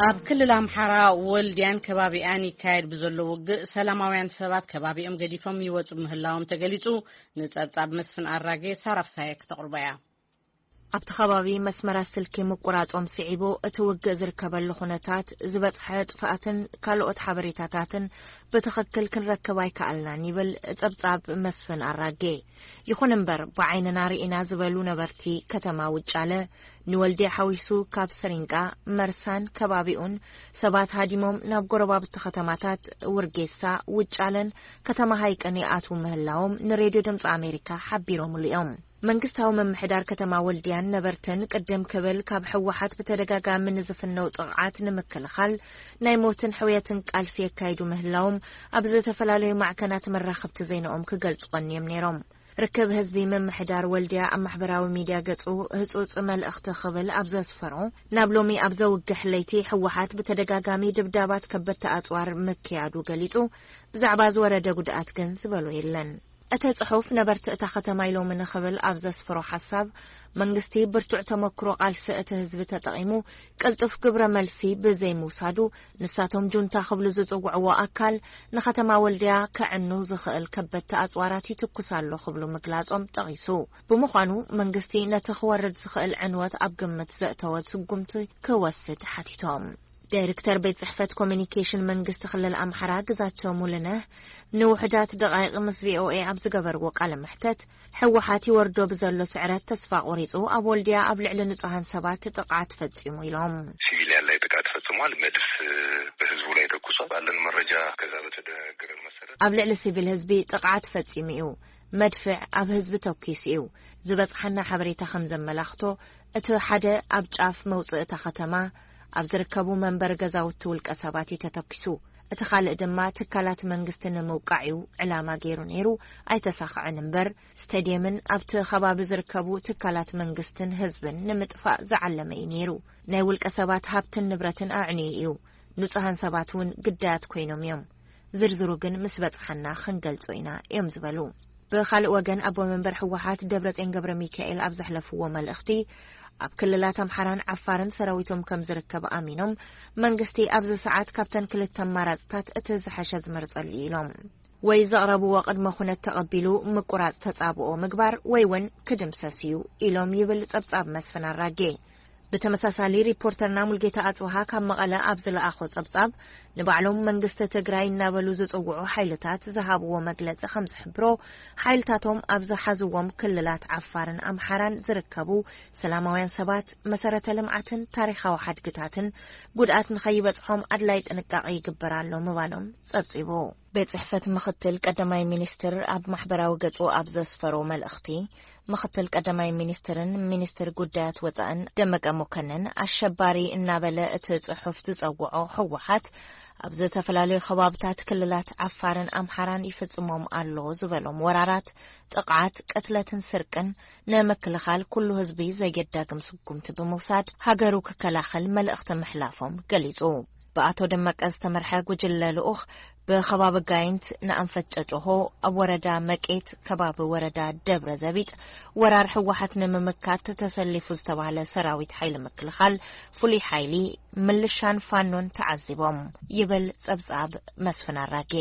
ኣብ ክልል ኣምሓራ ወልድያን ከባቢኣን ይካየድ ብዘሎ ውግእ ሰላማውያን ሰባት ከባቢኦም ገዲፎም ይወጹ ምህላዎም ተገሊጹ። ንጸብጻብ መስፍን ኣራጌ ሳራፍሳየ ክተቕርቦ እያ። ኣብቲ ከባቢ መስመራት ስልኪ ምቁራጾም ስዒቡ እቲ ውግእ ዝርከበሉ ኩነታት ዝበጽሐ ጥፍኣትን ካልኦት ሓበሬታታትን ብትኽክል ክንረክብ ኣይከኣልናን ይብል ጸብጻብ መስፍን ኣራጌ። ይኹን እምበር ብዓይንና ርኢና ዝበሉ ነበርቲ ከተማ ውጫለ ንወልድያ ሓዊሱ ካብ ስሪንቃ፣ መርሳን ከባቢኡን ሰባት ሃዲሞም ናብ ጎረባብቲ ከተማታት ውርጌሳ፣ ውጫለን ከተማ ሃይቅን ይኣትዉ ምህላዎም ንሬድዮ ድምፂ ኣሜሪካ ሓቢሮምሉ እዮም። መንግስታዊ ምምሕዳር ከተማ ወልድያን ነበርትን ቅድም ክብል ካብ ህወሓት ብተደጋጋሚ ንዝፍነው ጥቕዓት ንምክልኻል ናይ ሞትን ሕውየትን ቃልሲ የካይዱ ምህላዎም ኣብ ዝተፈላለዩ ማዕከናት መራኸብቲ ዜናኦም ክገልጹ ቀንዮም ነይሮም። ርክብ ህዝቢ ምምሕዳር ወልድያ ኣብ ማሕበራዊ ሚድያ ገጹ ህጹጽ መልእኽቲ ክብል ኣብ ዘስፈሮ፣ ናብ ሎሚ ኣብ ዘውግሕ ለይቲ ህወሓት ብተደጋጋሚ ድብዳባት ከበድቲ ኣጽዋር ምክያዱ ገሊጹ፣ ብዛዕባ ዝወረደ ጉድኣት ግን ዝበሎ የለን። እቲ ጽሑፍ ነበርቲ እታ ከተማ ኢሎምኒ ክብል ኣብ ዘስፈሮ ሓሳብ፣ መንግስቲ ብርቱዕ ተመክሮ ቃልሲ እቲ ህዝቢ ተጠቒሙ ቅልጡፍ ግብረ መልሲ ብዘይምውሳዱ፣ ንሳቶም ጁንታ ክብሉ ዝጽውዕዎ ኣካል ንከተማ ወልድያ ከዕኑ ዝኽእል ከበድቲ ኣጽዋራት ይትኩስ ኣሎ ክብሉ ምግላጾም ጠቒሱ። ብምዃኑ መንግስቲ ነቲ ክወርድ ዝኽእል ዕንወት ኣብ ግምት ዘእተወ ስጉምቲ ክወስድ ሓቲቶም። ዳይሬክተር ቤት ጽሕፈት ኮሚኒኬሽን መንግስቲ ክልል ኣምሓራ ግዛቸው ሙሉነህ ንውሕዳት ደቓይቕ ምስ ቪኦኤ ኣብ ዝገበርዎ ቃለ መሕተት፣ ህወሓት ይወርዶ ብዘሎ ስዕረት ተስፋ ቆሪጹ ኣብ ወልድያ ኣብ ልዕሊ ንጹሃን ሰባት ጥቕዓት ፈጺሙ ኢሎም። ሲቪሊያን ላይ ጥቃት ፈጽሟል። መድፍ በህዝቡ ላይ ተኩሷል። ባለን መረጃ ከዛ በተደነገረን መሰረት ኣብ ልዕሊ ሲቪል ህዝቢ ጥቕዓት ፈጺሙ እዩ። መድፍዕ ኣብ ህዝቢ ተኲሱ እዩ። ዝበጽሓና ሓበሬታ ከም ዘመላኽቶ፣ እቲ ሓደ ኣብ ጫፍ መውጽእ እታ ከተማ ኣብ ዝርከቡ መንበሪ ገዛውቲ ውልቀ ሰባት እዩ ተተኲሱ። እቲ ካልእ ድማ ትካላት መንግስቲ ንምውቃዕ እዩ ዕላማ ገይሩ ነይሩ፣ ኣይተሳኽዐን እምበር፣ ስቴድየምን ኣብቲ ከባቢ ዝርከቡ ትካላት መንግስትን ህዝብን ንምጥፋእ ዝዓለመ እዩ ነይሩ። ናይ ውልቀ ሰባት ሃብትን ንብረትን ኣዕንዩ እዩ። ንጹሃን ሰባት እውን ግዳያት ኮይኖም እዮም። ዝርዝሩ ግን ምስ በጽሓና ክንገልጾ ኢና እዮም ዝበሉ። ብኻልእ ወገን ኣቦ መንበር ህወሓት ደብረጽዮን ገብረ ሚካኤል ኣብ ዘሕለፍዎ መልእኽቲ፣ ኣብ ክልላት ኣምሓራን ዓፋርን ሰራዊቶም ከም ዝርከብ ኣሚኖም፣ መንግስቲ ኣብዚ ሰዓት ካብተን ክልተ ኣማራጽታት እቲ ዝሐሸ ዝመርጸሉ እዩ ኢሎም። ወይ ዘቕረብዎ ቅድመ ኩነት ተቐቢሉ ምቁራጽ ተጻብኦ ምግባር ወይ እውን ክድምሰስ እዩ ኢሎም ይብል ጸብጻብ መስፍን ኣራጌ። ብተመሳሳሊ ሪፖርተርና ሙልጌታ ኣጽብሃ ካብ መቐለ ኣብ ዝለኣኾ ጸብጻብ፣ ንባዕሎም መንግስቲ ትግራይ እናበሉ ዝጽውዑ ሓይልታት ዝሃብዎ መግለጺ ከም ዝሕብሮ፣ ሓይልታቶም ኣብ ዝሓዝዎም ክልላት ዓፋርን ኣምሓራን ዝርከቡ ሰላማውያን ሰባት፣ መሰረተ ልምዓትን ታሪኻዊ ሓድግታትን ጉድኣት ንኸይበጽሖም ኣድላይ ጥንቃቄ ይግበር ኣሎ ምባሎም ጸብጺቡ። ቤት ጽሕፈት ምኽትል ቀዳማይ ሚኒስትር ኣብ ማሕበራዊ ገጹ ኣብ ዘስፈሮ መልእኽቲ፣ ምኽትል ቀዳማይ ሚኒስትርን ሚኒስትር ጉዳያት ወጻእን ደመቀ መኮንን ኣሸባሪ እናበለ እቲ ጽሑፍ ዝጸውዖ ህወሓት ኣብ ዝተፈላለዩ ከባብታት ክልላት ዓፋርን ኣምሓራን ይፍጽሞም ኣሎ ዝበሎም ወራራት፣ ጥቕዓት፣ ቅትለትን ስርቅን ንምክልኻል ኩሉ ህዝቢ ዘየዳግም ስጉምቲ ብምውሳድ ሃገሩ ክከላኸል መልእኽቲ ምሕላፎም ገሊጹ። ብኣቶ ደመቀ ዝተመርሐ ጉጅለ ልኡኽ ብከባቢ ጋይንት ንኣንፈት ጨጨሆ ኣብ ወረዳ መቄት ከባቢ ወረዳ ደብረ ዘቢጥ ወራር ህወሓት ንምምካት ተሰሊፉ ዝተባህለ ሰራዊት ሓይሊ ምክልኻል፣ ፍሉይ ሓይሊ፣ ምልሻን ፋኖን ተዓዚቦም ይብል ጸብጻብ መስፍን ኣራጌ።